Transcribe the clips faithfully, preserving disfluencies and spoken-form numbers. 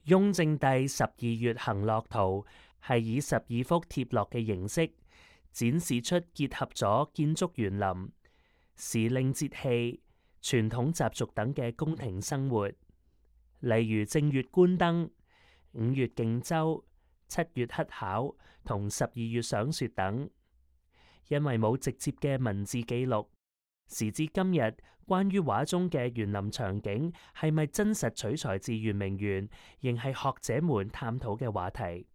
雍正帝十二月行樂圖係以十二幅貼落嘅形式，展示出結合咗建築園林、時令節氣、傳統習俗等嘅宮廷生活，例如正月觀燈、五月競舟、七月乞巧同十二月賞雪等。因為冇直接嘅文字記錄，時至今日，關於畫中嘅園林場景係咪真實取材自圓明園，仍係學者們探討嘅話題。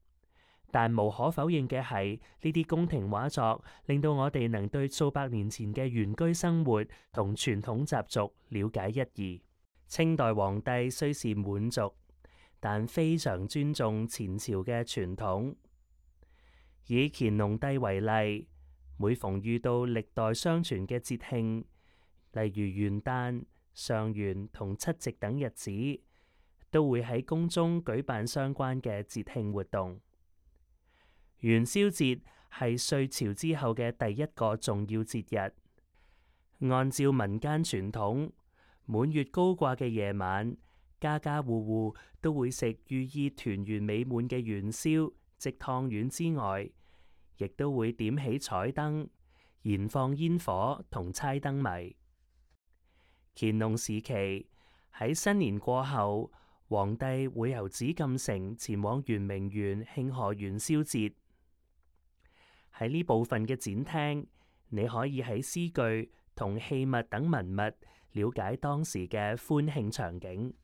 但無可否認嘅係，呢啲宮廷畫作令到我哋能對數百年前嘅原居生活同傳統習俗了解一二。清代皇帝雖是滿族，但非常尊重前朝嘅傳統。以乾隆帝為例，每逢遇到歷代相傳嘅節慶，例如元旦、上元同七夕等日子，都會喺宮中舉辦相關嘅節慶活動。元宵節係歲朝之後嘅第一個重要節日。按照民間傳統，滿月高掛嘅夜晚，家家戶戶都會食寓意團圓美滿嘅元宵，即湯圓之外，亦都會點起彩燈、燃放煙火同猜燈謎。乾隆時期喺新年過後，皇帝會由紫禁城前往圓明園慶賀元宵節。喺呢部分嘅展廳，你可以喺詩句同器物等文物了解當時嘅歡慶場景。